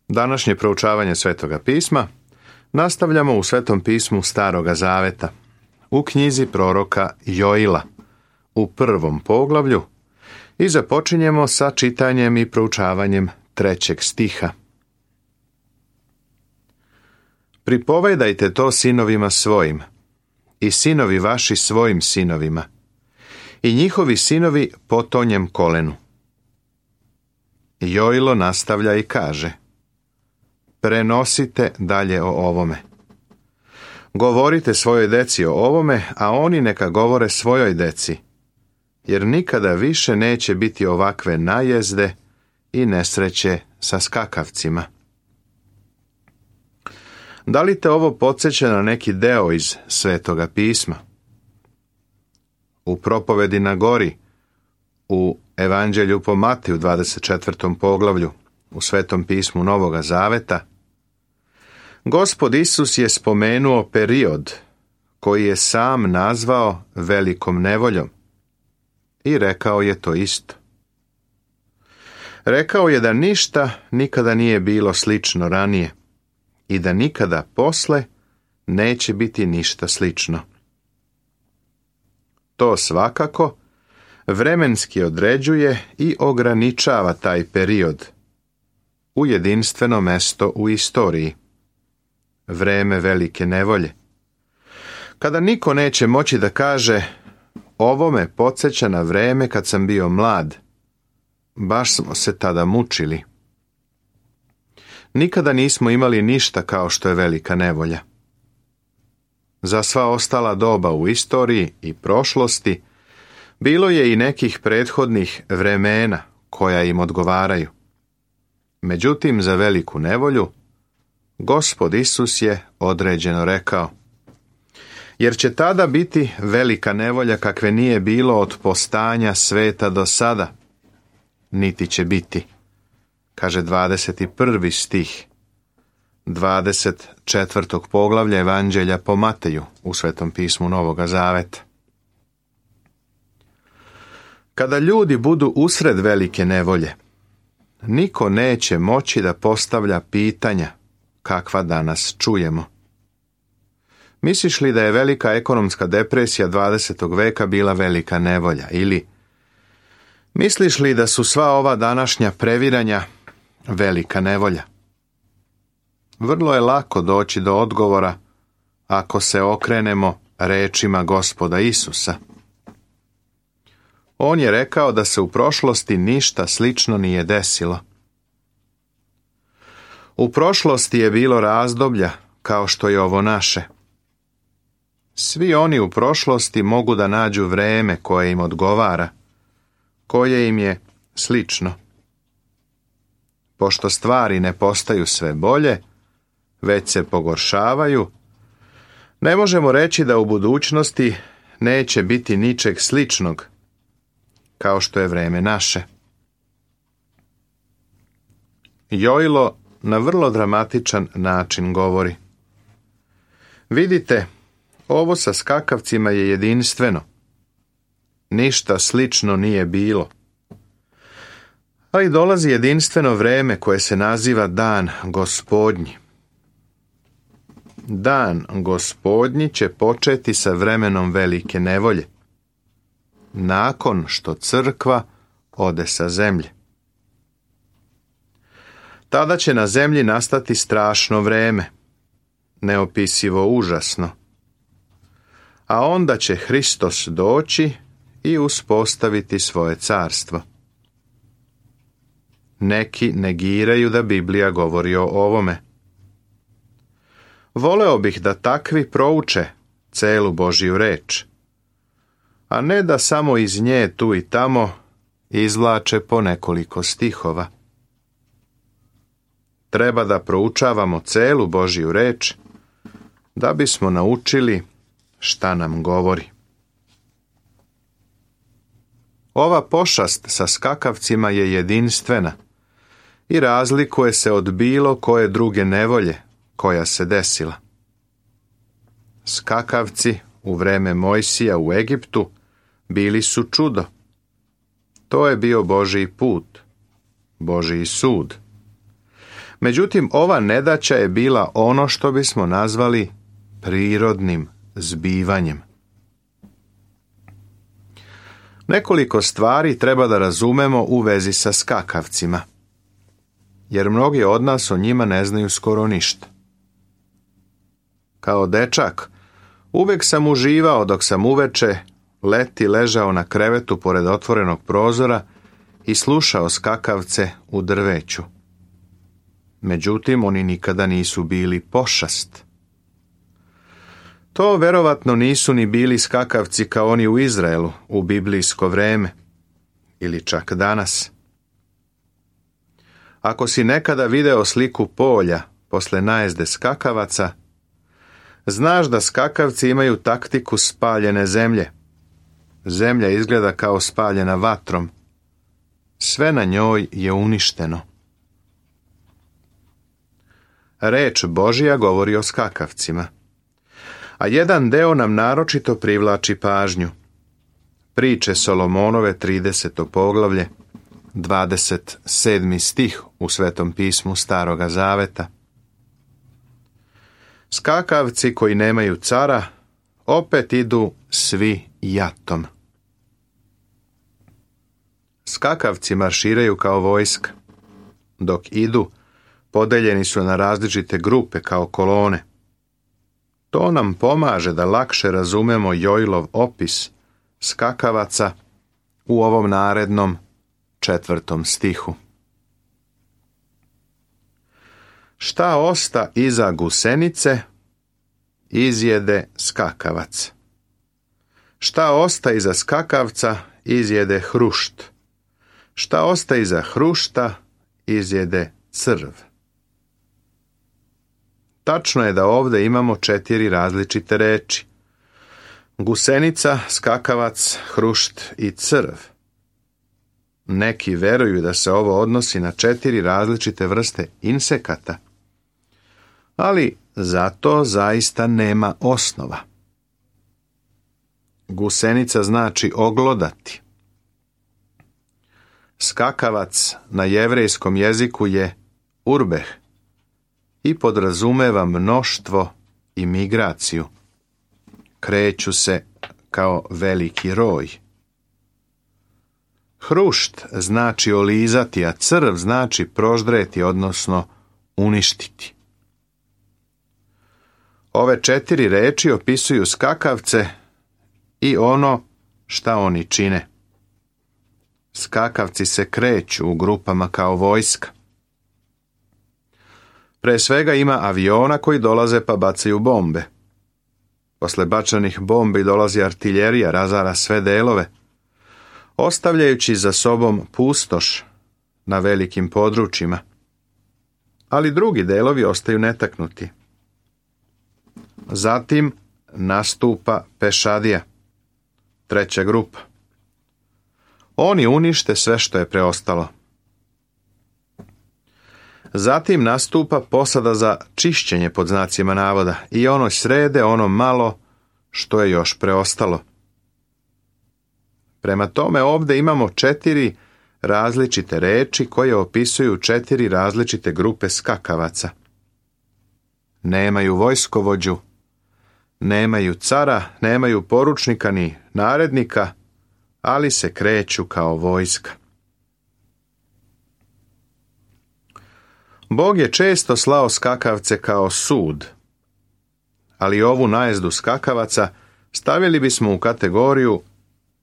Današnje proučavanje Svetoga pisma nastavljamo u Svetom pismu Staroga Zaveta, u knjizi proroka Joila, u 1. poglavlju, i započinjemo sa čitanjem i proučavanjem 3. stiha. Pripovedajte to sinovima svojim, i sinovi vaši svojim sinovima, i njihovi sinovi potonjem kolenu. Joilo nastavlja i kaže: prenosite dalje o ovome. Govorite svojoj deci o ovome, a oni neka govore svojoj deci, jer nikada više neće biti ovakve najezde i nesreće sa skakavcima. Da li te ovo podsjeća na neki deo iz Svetoga pisma? U propovedi na gori, u Evanđelju po Mateju 24. poglavlju, u Svetom pismu Novoga Zaveta, Gospod Isus je spomenuo period koji je sam nazvao velikom nevoljom i rekao je to isto. Rekao je da ništa nikada nije bilo slično ranije i da nikada posle neće biti ništa slično. To svakako vremenski određuje i ograničava taj period u jedinstveno mesto u istoriji, vreme velike nevolje, kada niko neće moći da kaže: ovo me podsjeća na vreme kad sam bio mlad, baš smo se tada mučili. Nikada nismo imali ništa kao što je velika nevolja. Za sva ostala doba u istoriji i prošlosti bilo je i nekih prethodnih vremena koja im odgovaraju. Međutim, za veliku nevolju Gospod Isus je određeno rekao: jer će tada biti velika nevolja kakve nije bilo od postanja sveta do sada, niti će biti, kaže 21. stih 24. poglavlja Evanđelja po Mateju u Svetom pismu Novoga Zaveta. Kada ljudi budu usred velike nevolje, niko neće moći da postavlja pitanja kakva danas čujemo. Misliš li da je velika ekonomska depresija 20. veka bila velika nevolja? Ili misliš li da su sva ova današnja previranja velika nevolja? Vrlo je lako doći do odgovora ako se okrenemo rečima Gospoda Isusa. On je rekao da se u prošlosti ništa slično nije desilo. U prošlosti je bilo razdoblja kao što je ovo naše. Svi oni u prošlosti mogu da nađu vreme koje im odgovara, koje im je slično. Pošto stvari ne postaju sve bolje, već se pogoršavaju, ne možemo reći da u budućnosti neće biti ničeg sličnog kao što je vreme naše. Joilo na vrlo dramatičan način govori: vidite, ovo sa skakavcima je jedinstveno. Ništa slično nije bilo. Ali dolazi jedinstveno vreme koje se naziva Dan Gospodnji. Dan Gospodnji će početi sa vremenom velike nevolje, nakon što crkva ode sa zemlje. Tada će na zemlji nastati strašno vreme, neopisivo užasno. A onda će Hristos doći i uspostaviti svoje carstvo. Neki negiraju da Biblija govori o ovome. Voleo bih da takvi prouče celu Božju reč, a ne da samo iz nje tu i tamo izvlače po nekoliko stihova. Treba da proučavamo celu Božju reč da bismo naučili šta nam govori. Ova pošast sa skakavcima je jedinstvena i razlikuje se od bilo koje druge nevolje koja se desila. Skakavci u vreme Mojsija u Egiptu bili su čudo. To je bio Božji put, Božji sud. Međutim, ova nedaća je bila ono što bismo nazvali prirodnim zbivanjem. Nekoliko stvari treba da razumemo u vezi sa skakavcima, jer mnogi od nas o njima ne znaju skoro ništa. Kao dečak, uvek sam uživao dok sam uveče leti ležao na krevetu pored otvorenog prozora i slušao skakavce u drveću. Međutim, oni nikada nisu bili pošast. To verovatno nisu ni bili skakavci kao oni u Izraelu u biblijsko vreme, ili čak danas. Ako si nekada video sliku polja posle najezde skakavaca, znaš da skakavci imaju taktiku spaljene zemlje. Zemlja izgleda kao spaljena vatrom. Sve na njoj je uništeno. Reč Božja govori o skakavcima, a jedan deo nam naročito privlači pažnju. Priče Solomonove 30. poglavlje, 27. stih u Svetom pismu Staroga Zaveta. Skakavci koji nemaju cara opet idu svi jatom. Skakavci marširaju kao vojska. Dok idu, podeljeni su na različite grupe kao kolone. To nam pomaže da lakše razumemo Joilov opis skakavaca u ovom narednom 4. stihu. Šta osta iza gusenice, izjede skakavac. Šta osta iza skakavca, izjede hrušt. Šta osta iza hrušta, izjede crv. Tačno je da ovdje imamo 4 različite reči. Gusenica, skakavac, hrušt i crv. Neki veruju da se ovo odnosi na 4 različite vrste insekata, ali za to zaista nema osnova. Gusenica znači oglodati. Skakavac na jevrejskom jeziku je urbeh i podrazumeva mnoštvo i migraciju. Kreću se kao veliki roj. Hrušt znači olizati, a crv znači proždreti, odnosno uništiti. Ove 4 reči opisuju skakavce i ono šta oni čine. Skakavci se kreću u grupama kao vojska. Pre svega ima aviona koji dolaze pa bacaju bombe. Posle bačanih bombi dolazi artiljerija, razara sve delove, ostavljajući za sobom pustoš na velikim područjima. Ali drugi delovi ostaju netaknuti. Zatim nastupa pešadija, 3. grupa. Oni unište sve što je preostalo. Zatim nastupa posada za čišćenje pod znacima navoda i ono srede ono malo što je još preostalo. Prema tome ovdje imamo 4 različite reči koje opisuju 4 različite grupe skakavaca. Nemaju vojskovođu, nemaju cara, nemaju poručnika ni narednika, ali se kreću kao vojska. Bog je često slao skakavce kao sud, ali ovu najezdu skakavaca stavili bismo u kategoriju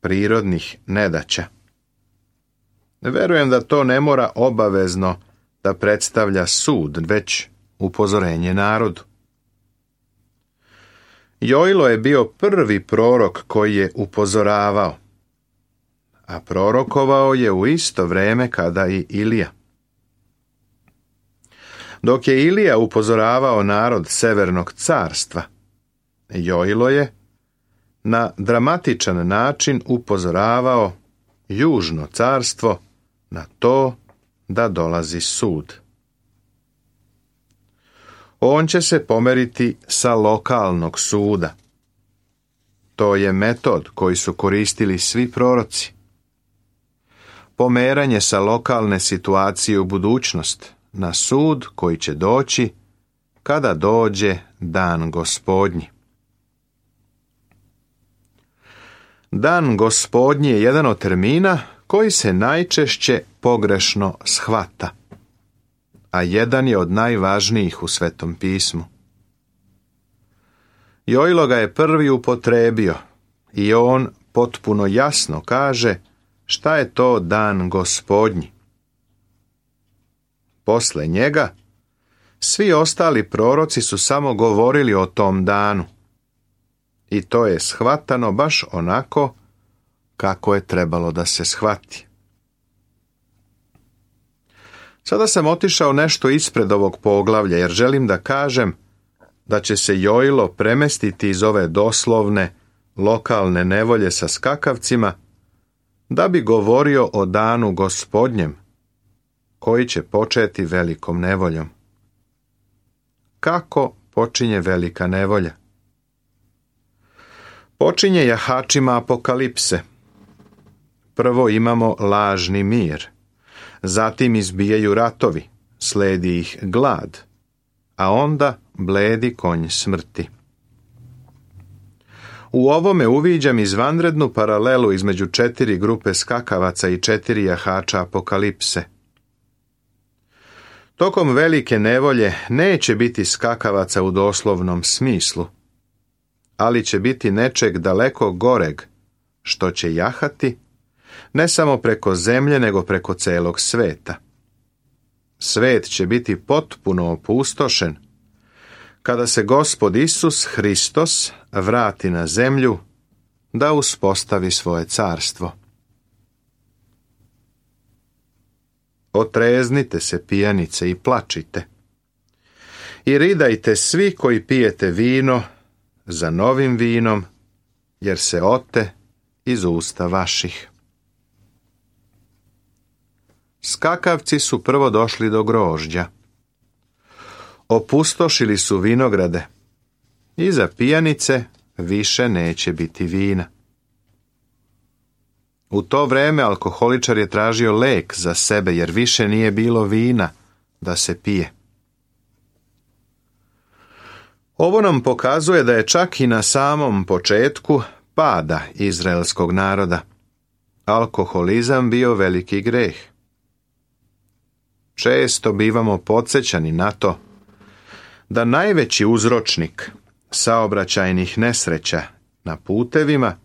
prirodnih nedaća. Verujem da to ne mora obavezno da predstavlja sud, već upozorenje narodu. Joilo je bio prvi prorok koji je upozoravao, a prorokovao je u isto vrijeme kada i Ilija. Dok je Ilija upozoravao narod Severnog carstva, Joilo je na dramatičan način upozoravao Južno carstvo na to da dolazi sud. On će se pomeriti sa lokalnog suda. To je metod koji su koristili svi proroci. Pomeranje sa lokalne situacije u budućnost na sud koji će doći kada dođe dan Gospodnji. Dan Gospodnji je jedan od termina koji se najčešće pogrešno shvata, a jedan je od najvažnijih u Svetom pismu. Jojlo ga je prvi upotrebio i on potpuno jasno kaže šta je to dan Gospodnji. Posle njega svi ostali proroci su samo govorili o tom danu i to je shvatano baš onako kako je trebalo da se shvati. Sada sam otišao nešto ispred ovog poglavlja jer želim da kažem da će se Jojlo premestiti iz ove doslovne, lokalne nevolje sa skakavcima da bi govorio o danu Gospodnjem koji će početi velikom nevoljom. Kako počinje velika nevolja? Počinje jahačima apokalipse. Prvo imamo lažni mir, zatim izbijaju ratovi, sledi ih glad, a onda bledi konj smrti. U ovome uviđam izvanrednu paralelu između 4 grupe skakavaca i 4 jahača apokalipse. Tokom velike nevolje neće biti skakavaca u doslovnom smislu, ali će biti nečeg daleko goreg, što će jahati, ne samo preko zemlje, nego preko celog sveta. Svet će biti potpuno opustošen, kada se Gospod Isus Hristos vrati na zemlju da uspostavi svoje carstvo. Otreznite se, pijanice, i plačite. I ridajte svi koji pijete vino za novim vinom, jer se ote iz usta vaših. Skakavci su prvo došli do grožđa. Opustošili su vinograde i za pijanice više neće biti vina. U to vreme alkoholičar je tražio lek za sebe jer više nije bilo vina da se pije. Ovo nam pokazuje da je čak i na samom početku pada izraelskog naroda alkoholizam bio veliki greh. Često bivamo podsjećani na to da najveći uzročnik saobraćajnih nesreća na putevima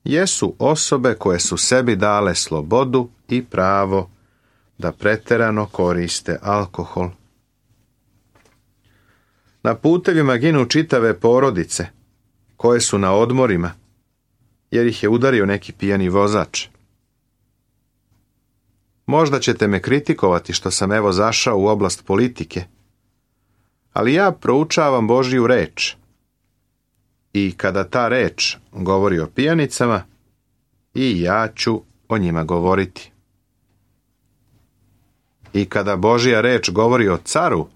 jesu osobe koje su sebi dale slobodu i pravo da preterano koriste alkohol. Na putevima ginu čitave porodice koje su na odmorima jer ih je udario neki pijani vozač. Možda ćete me kritikovati što sam evo zašao u oblast politike, ali ja proučavam Božju reč. I kada ta reč govori o pijanicama, i ja ću o njima govoriti. I kada Božja reč govori o caru,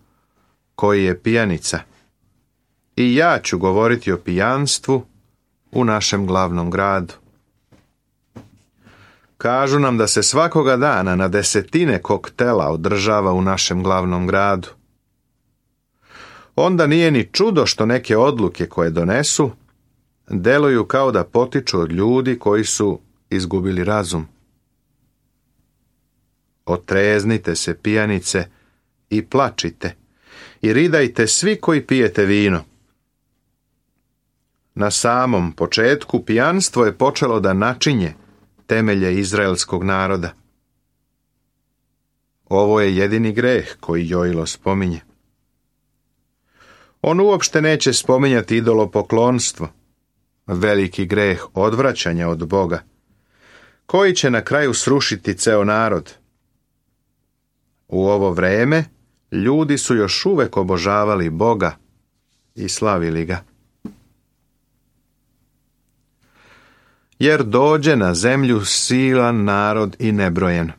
koji je pijanica, i ja ću govoriti o pijanstvu u našem glavnom gradu. Kažu nam da se svakoga dana na desetine koktela održava u našem glavnom gradu. Onda nije ni čudo što neke odluke koje donesu deluju kao da potiču od ljudi koji su izgubili razum. Otreznite se, pijanice, i plačite, i ridajte svi koji pijete vino. Na samom početku pijanstvo je počelo da načinje temelje izraelskog naroda. Ovo je jedini greh koji Jojlo spominje. On uopšte neće spominjati idolopoklonstvo, veliki greh odvraćanja od Boga, koji će na kraju srušiti ceo narod. U ovo vreme ljudi su još uvek obožavali Boga i slavili ga. Jer dođe na zemlju silan narod i nebrojen.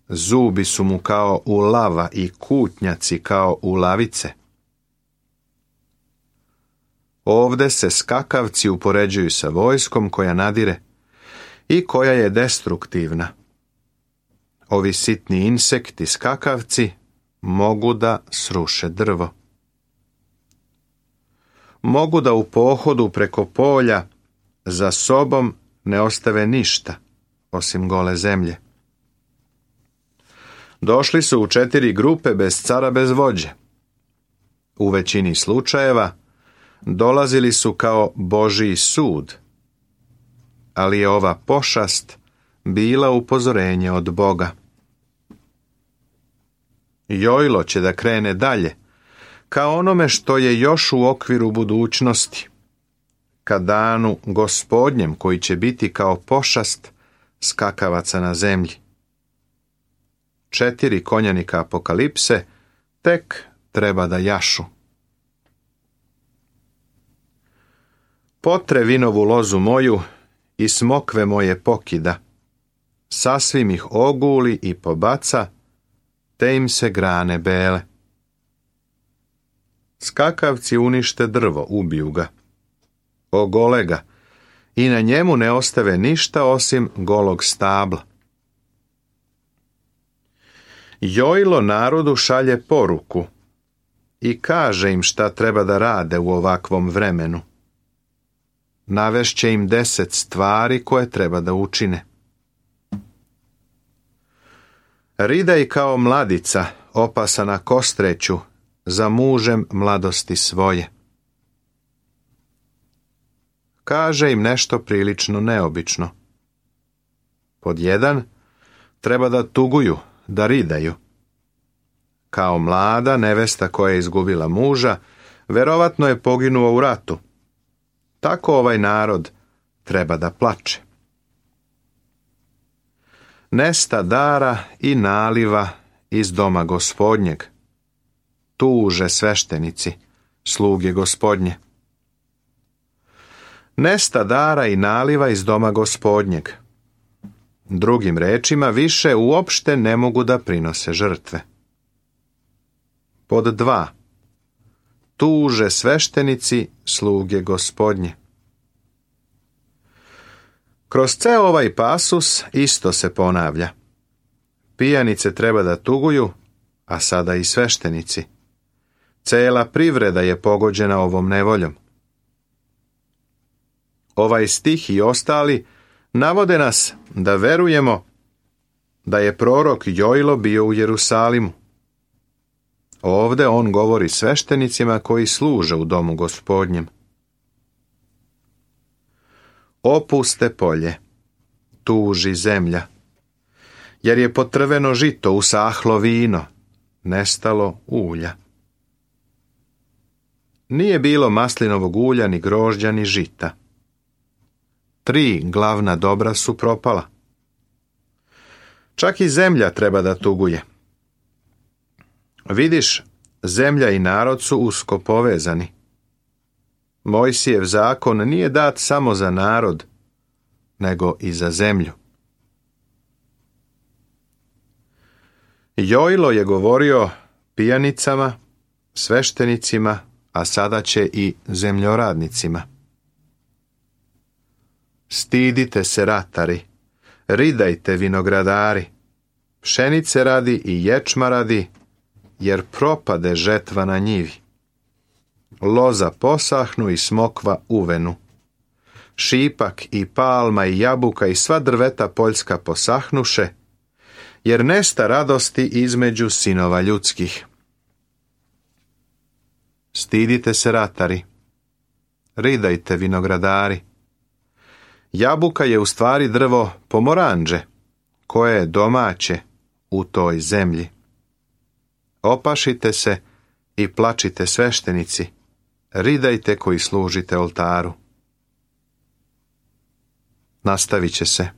Zubi su mu kao u lava i kutnjaci kao u lavice. Ovde se skakavci upoređuju sa vojskom koja nadire i koja je destruktivna. Ovi sitni insekti, skakavci, mogu da sruše drvo. Mogu da u pohodu preko polja za sobom ne ostave ništa, osim gole zemlje. Došli su u 4 grupe bez cara, bez vođe. U većini slučajeva dolazili su kao Božji sud, ali je ova pošast bila upozorenje od Boga. Jojlo će da krene dalje, kao onome što je još u okviru budućnosti, ka danu Gospodnjem koji će biti kao pošast skakavaca na zemlji. 4 konjanika apokalipse tek treba da jašu. Potre vinovu lozu moju i smokve moje pokida, sasvim ih oguli i pobaca, te im se grane bele. Skakavci unište drvo, ubiju ga, ogole ga i na njemu ne ostave ništa osim golog stabla. Jojlo narodu šalje poruku i kaže im šta treba da rade u ovakvom vremenu. Navešće im 10 stvari koje treba da učine. Ridaj kao mladica, opasana kostreću, za mužem mladosti svoje. Kaže im nešto prilično neobično. Pod 1, treba da tuguju, da ridaju. Kao mlada nevesta koja je izgubila muža, verovatno je poginuo u ratu. Tako ovaj narod treba da plače. Nesta dara i naliva iz doma Gospodnjeg. Tuže sveštenici, sluge Gospodnje. Nesta dara i naliva iz doma Gospodnjeg. Drugim rečima, više uopšte ne mogu da prinose žrtve. Pod 2. Tuže sveštenici, sluge Gospodnje. Kroz ceo ovaj pasus isto se ponavlja. Pijanice treba da tuguju, a sada i sveštenici. Cela privreda je pogođena ovom nevoljom. Ovaj stih i ostali navode nas da verujemo da je prorok Jojlo bio u Jerusalimu. Ovde on govori sveštenicima koji služe u domu Gospodnjem. Opuste polje, tuži zemlja, jer je potrveno žito, usahlo vino, nestalo ulja. Nije bilo maslinovog ulja, ni grožđa, ni žita. 3 glavna dobra su propala. Čak i zemlja treba da tuguje. Vidiš, zemlja i narod su usko povezani. Mojsijev zakon nije dat samo za narod, nego i za zemlju. Jojlo je govorio pijanicama, sveštenicima, a sada će i zemljoradnicima. Stidite se ratari, ridajte vinogradari, pšenice radi i ječma radi, jer propade žetva na njivi. Loza posahnu i smokva uvenu. Šipak i palma i jabuka i sva drveta poljska posahnuše, jer nesta radosti između sinova ljudskih. Stidite se ratari, ridajte vinogradari. Jabuka je u stvari drvo pomoranđe, koje je domaće u toj zemlji. Opašite se i plačite sveštenici, ridajte koji služite oltaru. Nastavit će se.